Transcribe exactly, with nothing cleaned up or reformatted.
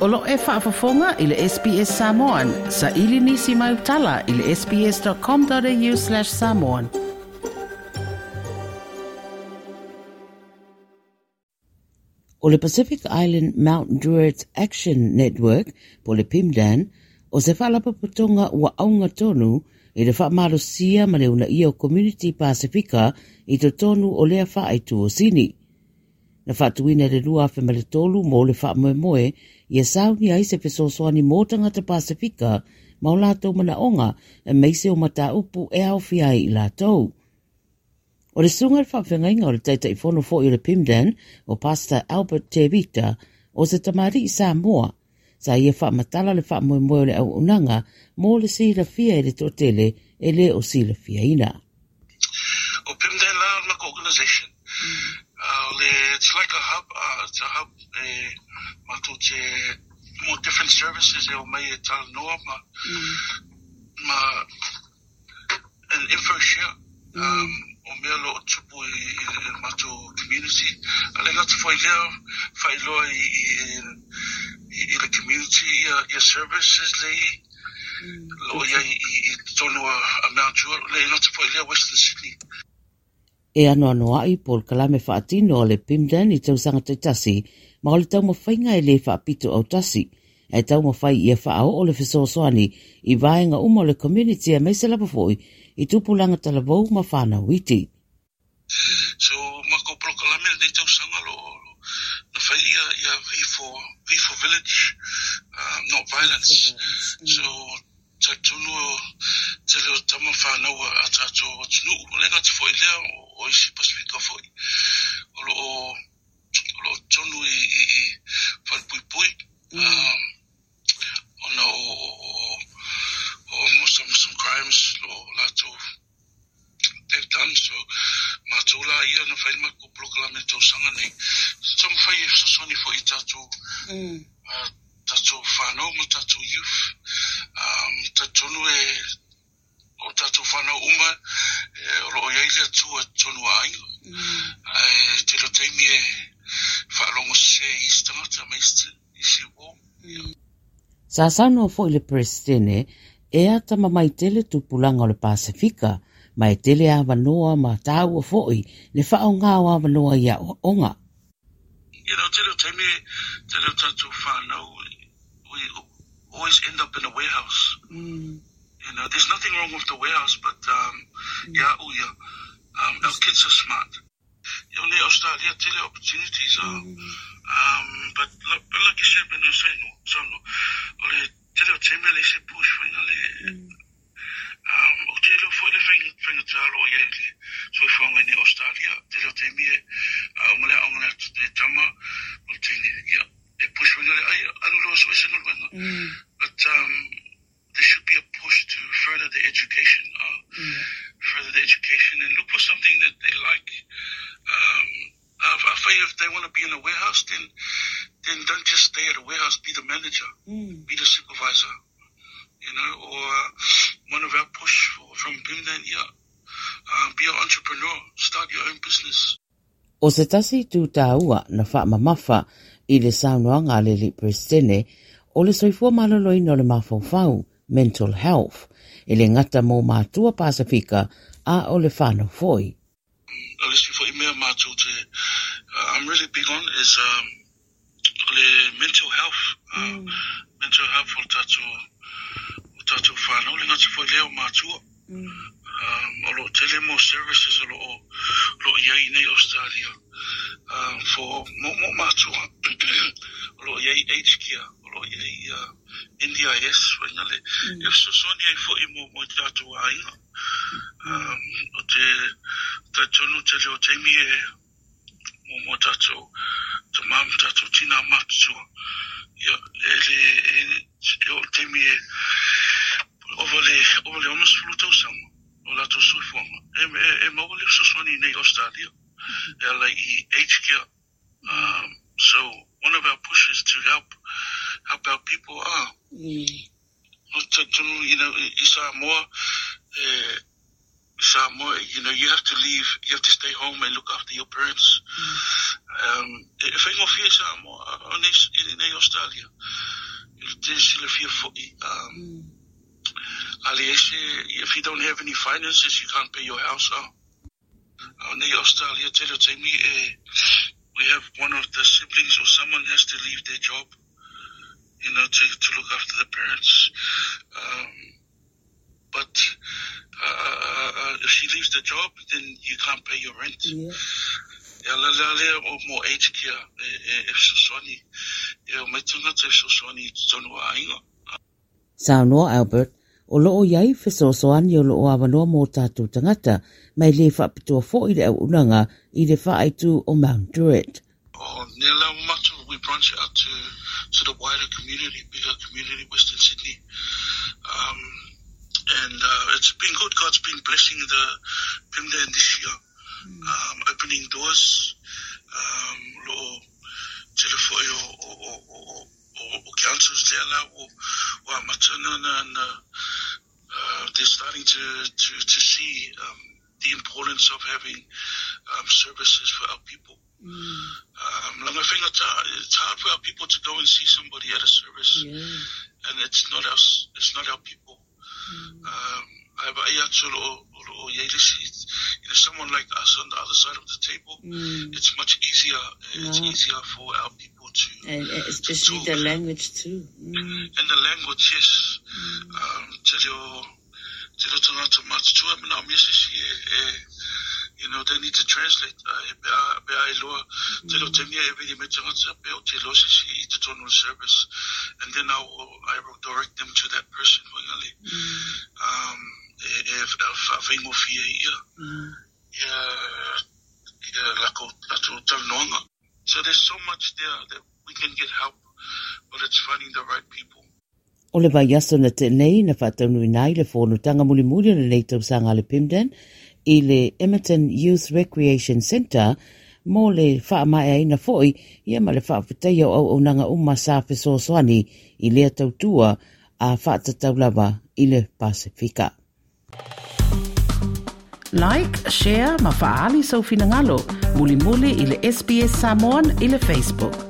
O lo e faafofoga i le S B S Samoan. Sa ili nisi mai utala i le sbs.com.au slash samoan. O le Pacific Island Mount Druitt Action Network, po le PIMDAN, o se whaalapapatonga ua aunga tonu i le whaamalosia ma le una ia o Community Pasifika i totonu o lea whaaitu o sini. Na whaatuina le lua afe ma le tolu mō le whaamoemoe ia sauni ai se fesoasoani mō tangata Pasifika ma o lātou manaonga e meise o mataupu e aofia ai i lātou. O le sunga le whaawhengainga o le taitaifono foi o le PIMDAN o Pastor Albert Tevita o se tamari i Samoa sa ia whaamatala le whaamoemoe o le auaunaga mō le silafia e le toatele e le o silafiaina. O PIMDAN la maka organization. Uh, le, it's like a hub, uh, it's a hub e mātou te more different services e o mai e talanoa ma, mm. ma an info share. Mm. Um, o mea lo o tupu i, i, i mātou community. A le ngata whai lea, whailoa i, i, i, i le community, ia, ia services le mm. lo ia i, i, i tonu a, a Mount Druitt, le ngata whai lea Western Sydney. E ano anoai pol kalame whaatino o le PIMDAN i tausanga taitasi, ma o le taumawhainga e le whaapito autasi. E taumawhai ia whaao o le fesoasoani i vaenga uma o le community e meise lapa foi i tupulanga talavou ma whanau iti. So, mako prokalame le tausanga lo, na whai ia, ia V for, V for village, um, not violence. Mm. So, taitunu te leo tama whanau a tātou atunuu. O le ngata foi lea o isi Pasifika foi. O lo o, o lo tonu i, i, i whalepuipui. Mm. Um, ona o, o, o, some, some crimes lo lātou they've done. So, mātou la ia na whai mako prokalame tausanga nei. So, tama whai e sosoni foi i tātou mm. uh, tātou whanau ma tātou youth. Um, tonu e o tātou whanau uma e, o lo iai lea tua tonu a ainga. Mm. E, te lo teimi e whaalongo se isi tangata ma isi, isi wō. Mm. Sa saunoa foi le presidente e ata mamai tele tupulanga o le Pasifika ma e tele awanoa ma tāua foi le whaonga o awanoa ia oaonga. You know, te leo teimi, te leo tātou whanau, we always end up in a warehouse. Mm. You know, there's nothing wrong with the warehouse, but um, mm. yeah, oh yeah, um, our kids are smart. You know, Australia, tele opportunities are, mm. um, but like, but like you said, when I say no, so no, ole tele o teme le se push for le, um, o tele o foi le whainga whainga talo o ia le soifuaga nei Australia, tele o teme e, o male aonga le te tama, o tene, yeah, e push for le ai alu loa so ese galuega. But um, there should be a push to further the education, uh, mm. further the education and look for something that they like. Um, I feel if they want to be in a warehouse, then then don't just stay at a warehouse. Be the manager, mm. be the supervisor, you know. Or one of our push for, from PIMDAN, yeah, uh, be an entrepreneur, start your own business. O se tasi tūtāua na whaamamafa i le saunoaga a le le presidente o le soifua maloloina o le mafaufau, mental health, e le ngata mō mātua Pasifika a o le whanau foi. O le si foi mea mātou te, uh, I'm really big on is um, le mental health, uh, mm. mental health o tātou, o tātou whanau, le ngata foi leo mātua. Mm. Um, o lo tele mo services o lo, lo iai nei Australia um, for mo, mo mātua. O lo iai aged care, o lo iai uh, N D I S, wainga le, mm. e fesoasoani ai foi mo, mo i tātou ainga. Um, o te taitonu te leo teimi e mo mo tātou ta mam tātou tina matutua. Ia, e le, e, e o teimi e ova le, ova le ono sefulu tausaga o latou soifuaga. E, e, e maua le fesoasoani nei Australia. E ala i aged care. Um, so one of our pushes to help help our people are. Mm. You know, i Samoa, eh, Samoa, you know, you have to leave, you have to stay home and look after your parents. Mm. Um, e whaingo fia Samoa, nei i nei Australia. I le te silafia fo'i. Um, a leai se, if you don't have any finances, you can't pay your house. Uh. Uh, nei Australia, tele o taimi e, we have one of the siblings or someone has to leave their job, you know, to, to look after the parents. Um, but uh, uh, uh, if she leaves the job, then you can't pay your rent. Yeah. Ia la la lea o mo aged care e, e, e fesoasoani. E o mai tangata e fesoasoani i totonu o aiga. Saunoa Albert, o loo iai fesoasoani o loo awanoa mo tātou tangata, mai le whaapitoa fo'i le auaunaga i le faaitu o Mount Druitt. O nea la mātou, we branch out to, to the wider community, bigger community, Western Sydney. Um, and uh, it's been good. God's been blessing the PIMDAN this year. Um, opening doors, um, lo tele fo'i o, o, o, o, o, o councils lea la o, o a matana na, na uh, they're starting to, to, to see um, the importance of having um, services for our people. Um, langa whaingata, it's hard for our people to go and see somebody at a service, Yeah. and it's not our, it's not our people. Um, ai ba ia atu o, o, o iai lisi, you know, someone like us on the other side of the table, it's much easier. It's Ah. easier for our people to, And especially the language too. Mm. and the language, yes. Um, te reo, te reo tangata matutua, mana o mea se si e, e, you know, they need to translate. Uh, e pea, pea e loa, te reo te mea e viri me tangata, pe o te loa se si i te tonu service. And then I will, I will direct them to that person, wangale. Um, e, e, e whaawhaingofia ia. Ia, ia lako, lako talanoaga. So there's so much there that we can get help, but it's finding the right people. O le vaiaso na te nei na whaataunu ai le fonotaga mulimuli o lenei tausaga le PIMDAN i le Emerton Youth Recreation Centre mo le whaamaeaina fo'i ia ma le whaafetaia o auaunaga uma sa fesoasoani i lea tautua a whaatatau lava i le Pasifika. Like, share ma faali sau finagalo, mulimuli i le S B S Samoan i le Facebook.